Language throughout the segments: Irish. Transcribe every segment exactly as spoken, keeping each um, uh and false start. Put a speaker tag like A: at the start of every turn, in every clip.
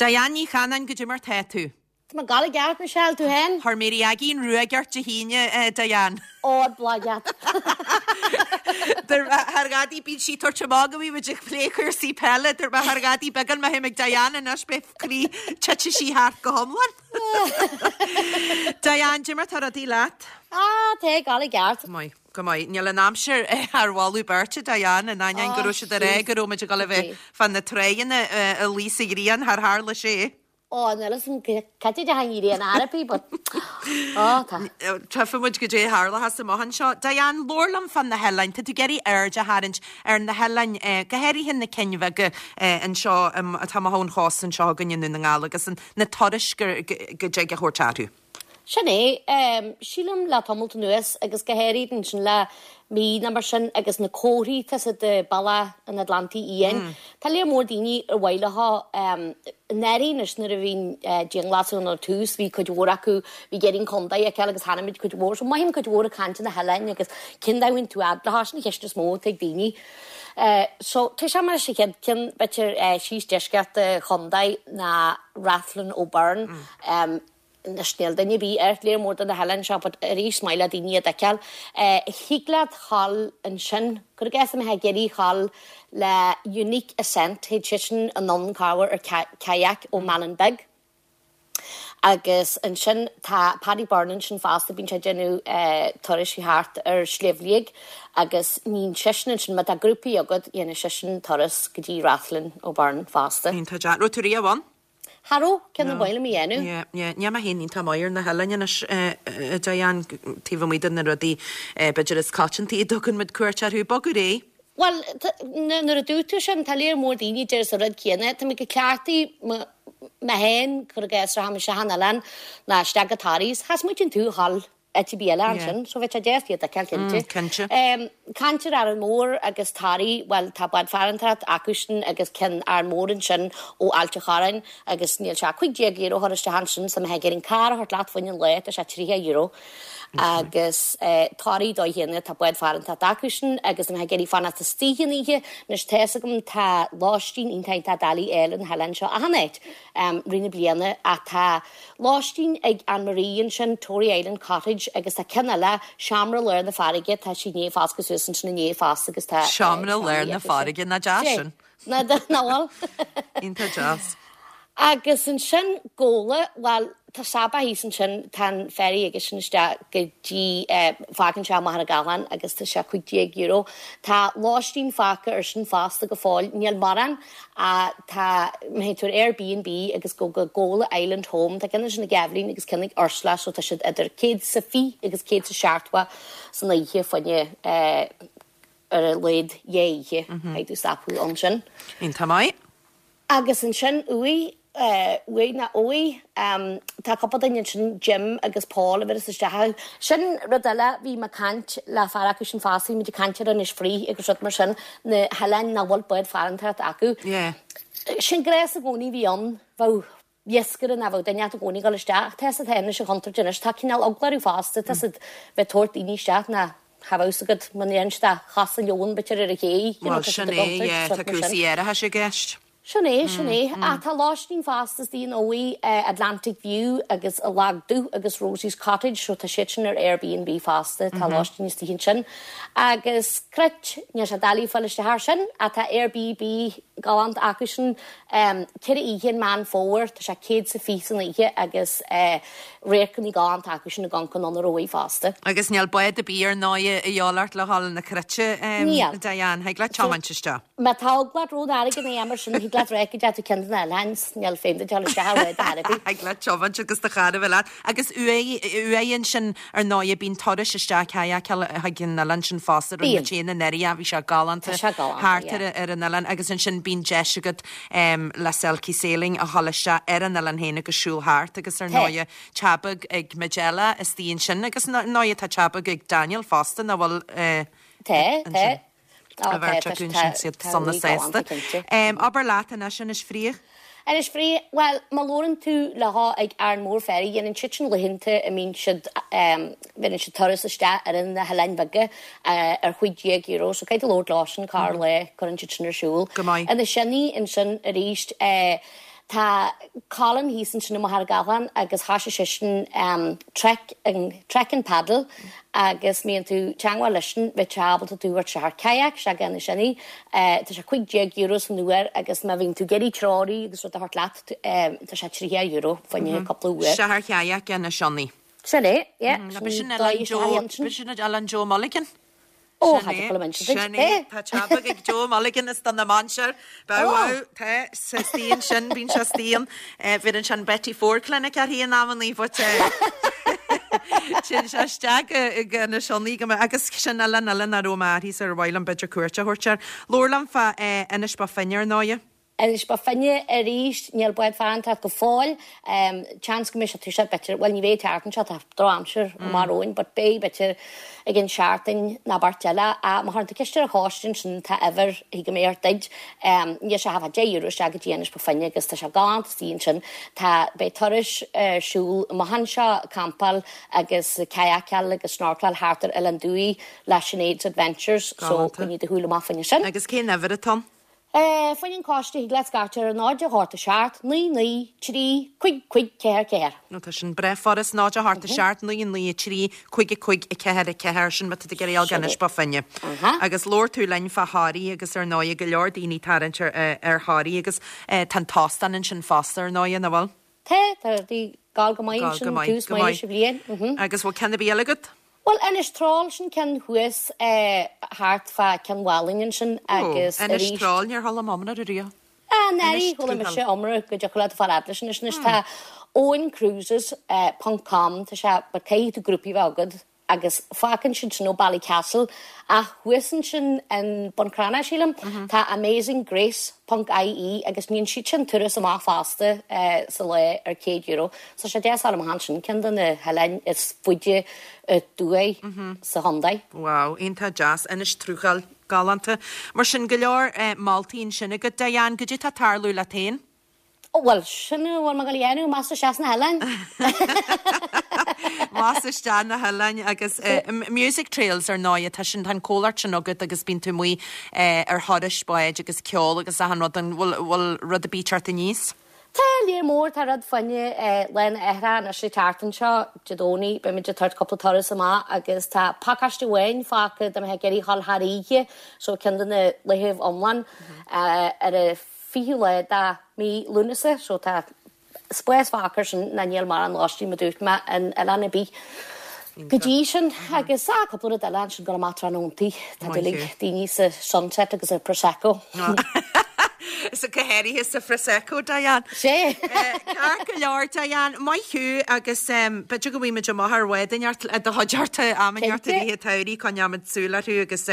A: Diane Ní Chanainn goidé mar tá tú.
B: Tá mé ag gabháil i gceart Michelle tú féin?
A: Chuir Mary Aggie an ruaig ort Dé hAoine Diane.
B: Ó blagat.
A: Thar gadaí bíonn sí tabhairt amach go bhí ag plé cúrsaí peile dur thar gadaí beagán me ag Diane anois be croí tite sí thart go hiomlán. Diane goidé mar tá rudaí leat?
B: Á tá ag gabháil i gceart.
A: Maith. Go maith níl an aimsir ar mholadh beirte Diane in ainneoin go raibh siad ar é go raibh muid ag dul a bheith fan na tráigheanna a luí sa ghrian thar tharla sé.
B: Ó níl san cad é an an araí but ó tá.
A: Tchífidh muid goidé tharla sa mothan seo. Diane labhair liom fan na hoileáin, Tá tú ag iarraidh aird a tharraingt ar na hoileáin go háirithe na cinn bheaga anseo atá amach ón chósta anseo againn i nDún na nGall agus na turais go dtig a thabhairt orthu.
B: Sin é sílim le tamalt anuas agus go háirithe ansin le mí ná mar sin agus na comharthaí tá siad de Bealach an Atlantaigh Fhiáin. Tá léar mór daoine ar mhaith leo náirí nuair a bhíonn dianghlasáil ar tús, bhí cuid mhór acu bhí ag iarraidh an contae a fheiceáil agus tháinig muid cuid mhór, so mothaím cuid mhór ag caint na hoileáin agus cén domhan tú fhad sin an cheist is mó atá ag daoine. Uh, so tá sé mar sé chéad cinn b'fhéidir uh, síos deisceart chontae ná Rathlin O'Byrne. Mm. Um, na snéil duine bí ar léir mór na hoileáin seo, but arís maith le daoine a fheiceáil. Thig leat dul ansin gur ges mé géirí chall le Unique Ascent théid sé sin an cabhair ar kayak ó Malin Beg. Agus ansin tá Paddy Byrne sin fosta bíonn sé déanamh uh, turais thart ar Sliabh Liag agus níon sin sin má tá grúpaí agat dhéanann seisean turas go dtí Rathlin O'Byrne fosta.
A: Tá raibh tú riamh ann?
B: Cha raibh ceann na bhile mí dhéanamh?
A: Ní ma héon tá mair na hoileáin Diane taobh amuigh de na rudaí b'fhéidir is coitianta a dtugann muid cuairt orthu bogadh é.
B: Well nuair a dúirt tú sin tá léir mór daoine deir sa rud céanna, Tá mé go ceartaí me héin chur gas ra se han eile ná isteach go Toraigh, Has muid an tú hall eti bí eile ansin, so bheit deas iad a ceil
A: Cinnte.
B: Caint ar Árainn Mhór agus Toraigh well tá bád farantóireacht acusan agus ceann Árainn Mhór ansin ó Ailt an Chorráin agus níl sé cúig déag euro chur isteach ansin sa mé an car a thabhairt leat faoin an lá tá sé tríocha euro. agus Toraigh dó chéanna tá bád farantóireacht acusan agus mé ag iarraidh fanacht istigh an oíche anois tá agam tá lóistín iontach doiligh eile an hoileán seo achan áit um, rith na bliana ach tá lóistín ag Anne-Marie ansin Tory Island Cottage agus tá ceann eile seomra lár na farraige tá sí né fás suas sin né fás agus tá
A: Seomra lár na farraige na deas sin.
B: Na bhfuil.
A: Iontach deas.
B: Agus ansin Gabhla well tá Saba thíos ansin tá an ferry agus sin isteach go dtí fágann sé Machaire Gathlán agus tá sé cúig déag euro. Tá lóistín fágtha ar sin fosta go fóill níl mórán a tá mé tú Airbnb agus go go Gabhla Island Home Tá ceann sin ag Eibhlín agus ceann ag Ursula so tá siad idir céad sa fiche agus céad sa seachtó san oíche faoine ar a laghad dhá oíche ag tú stopadh ansin.
A: Iontach maith.
B: Agus ansin uaidh uaidh na óí tá cúpla duine sin Jim agus Paul a bhí isteach. Sin rud eile bhí mé ag caint le fear acu sin fosta muid ag caint ar Inis Fraoich agus rud mar sin na hoileáin nach bhfuil bád farantóireacht acu. Sin gréas i gcónaí bhí ann bheadh iascaire ná bheadh duine i gcónaí dul isteach tá sa tá se chuntar duine tá cineál eagla orthu fosta tá siad bheith tabhairt daoine isteach na ha agad man dhéan sta chas leon b'fhéidir ar a ché.
A: Well sin é tá cúrsaí aerachais i gceist.
B: Sin é sin é a tá lóistín fosta dí an óí Atlantic View agus a lagdú agus Rosie's Cottage so tá siad sin ar Airbnb fosta tá lóistín istigh ansin. Agus Cruit níl sé doiligh fáil isteach sin atá Airbnb galánta acu sin ceithre oíche Meán Fómhair tá sé céad sa fiche san oíche agus radharcanna galánta acu sin a gan an óí fosta.
A: Agus níl bád ar bith ar ndóigh a dheolart le háil na Cruite Diane, thig leat tiomáint isteach.
B: Má tá eagla ort airgead é mar sin thig leat réice tú ceann na lens níl féin de isteach
A: arabi. Thig leat tiomáint agus do charr a bheith leat. Agus uaidh ansin ar ndóigh bíonn turais isteach kayak chuig an oileán sin fosta rinne muid féin anuraidh bhí sé galánta thart ar an oileán agus ansin bíonn deis agat le Selkie Sailing a dhul isteach ar an oileán féin agus siúl thart agus ar ndóigh teach beag ag Majella istigh ansin agus ndóigh tá teach beag ag Daniel fosta na bhfuil
B: Tá tá.
A: A bheirt acu sin siad sona sásta. Abair leat anois Inis Fraoich?
B: Inis Fraoich, well má labhrann tú le há ag Árainn Mhór Ferry dhéanann siad sin laethanta a mbíonn siad bhíonn siad turas isteach ar na hoileáin bheaga ar cúig déag euro, so caithfidh tú labhairt leo sin corr lá cuireann siad sin ar siúl.
A: Go maith.
B: Ina sinní ansin arís Tá Colin thíos ansin i Machaire Gathlán agus thoisigh seisean um, trek and, trek and paddle agus mbíonn tú teangmháil leisean bheadh sé ábalta tú a thabhairt ar kayak sé gan sinní tá sé cúig déag euro san uair agus má bhíonn tú ag iarraidh treoraí agus rud a thabhairt leat tá sé tríocha euro fá choinne cúpla uair.
A: Sé ar kayak Inis Sionnaigh.
B: Sin é, yeah.
A: B'shin B'shin Oileán Joe Mulligan.
B: Ó Sin
A: é Tá teach ag Joe Mulligan is don na manseir Ba tá sa stíon sin bíonn sé stíon bhí an sin Betty Ford Clinic ar hí an amannaí but Sin sé isteach go na Sionnaigh go agus sin eile eile na rómáí ar bhhail an beidir cuairte thuirtear. Lólam fa Inis Bó Finne ar ndóigh.
B: Inis Bó Finne arís níl bád farantacht go fóill seans go mbeidh sé tuiseach b'fhéidir well ní bheidh teartan seo tá drochaimsir mar óin, but beidh b'fhéidir ag an seachtain ná beirt eile a má chuireann tú ceist ar an choiste sin tá uimhir go mbeidh ar duid níl sé ha deich euro isteach go dtí Inis Bó Finne agus tá sé galánta istigh ansin tá beidh turais siúl amach anseo campáil agus kayakáil agus snorkeláil thart ar Oileán Dúi le Sinead's Adventures so coinnigh do shúil amach fá choinne sin.
A: Agus cén uimhir atá?
B: Fá choinne an choiste thig leat scairteadh ar náid a hocht a seacht, naoi naoi, trí, cúig cúig, ceathair ceathair.
A: Nó tá sin breá furast náid a hocht a seacht, naoi naoi, trí, cúig cúig, ceathair ceathair sin má tá tú ag iarraidh dul go Inis Bó Finne. Agus labhair tú linn fá Thoraí agus ar ndóigh go leor daoine tarraingt ar ar Thoraí agus tá an t-óstán ansin fosta ar ndóigh nach bhfuil?
B: Tá, tá rudaí ag gabháil go maith ansin tús maith leis an bhliain.
A: Agus bhfuil ceann ar bith eile agat?
B: Well Inis Troll sin ceann thuas thart fá Cionn Mhálainn ansin agus
A: arís. Inis Troll, níor chuala mé iomrá air riamh.
B: Ah, neirí, chuala mise iomrá go dtiocfadh leat fáil fhad leis anois. Anois tá Owen Cruises ponc com, tá sé, but caithfidh tú grúpaí bheith agat agus fágann siad sin ó Ballycastle ach thuas ansin in Bun Cranncha, sílim, tá Amazing Grace ponc ie agus níonn siad sin turas amach fosta sa lá ar céad euro. So sé deas fáil amach ansin, ceann de na hoileáin is faide aduaidh sa chontae.
A: Wow, iontach deas, Inis Truachail, galánta. Mar sin go leor moltaí ansin agat, Diane, goidé tá ag tarlú leat féin?
B: Ó bhuel, sin a bhfuil mé ag dul a dhéanamh, más isteach sna hoileáin.
A: Más isteach na hoileáin agus Music Trails ar ndóigh, tá sin, tá an comhlacht sin agat agus bíonn tú amuigh ar thurais báid agus ceol agus achan rud, an bhfuil, bhfuil rud ar bith ag teacht aníos?
B: Tá lear mór, tá rud fá choinne Lá na hAthrach anois an tseachtain seo, Dé Domhnaigh, beimid ag tabhairt cúpla turas amach agus tá pacáiste amháin fágtha dá mbeifeá ag iarraidh a dhul thar oíche, so ceann de na laethibh iomlán ar an fichiú lá de mí Lúnasa, so tá spás fágtha air sin ná níl mórán lóistín mar dúirt mé in oileán ar bith go dtí sin agus ah cúpla rud eile ansin dul amach tráthnóntaí, tá dúil ag daoine sa sunset agus sa prosecco.
A: Sa go háirithe sa Phrosecco, Diane.
B: Sé.
A: Ceart go leor, Diane, maith thú agus b'fhéidir go bhfaighimid amach ar bhád inteacht i do chuideachta am inteacht i rith an tsamhraidh, coinneoimid súil orthu agus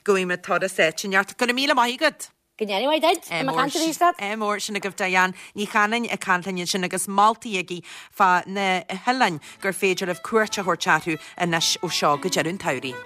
A: go bhfaighimid turas áit inteacht. Go raibh míle maith agat!
B: Go ndéana maith duit, tá mé ag caint arís leat.
A: Ádh mór, sin agaibh Diane Ní Chanainn ag caint linn ansin agus moltaí aici fá na hoileáin gur féidir libh cuairt a thabhairt orthu anois ó seo go deireadh an tsamhraidh.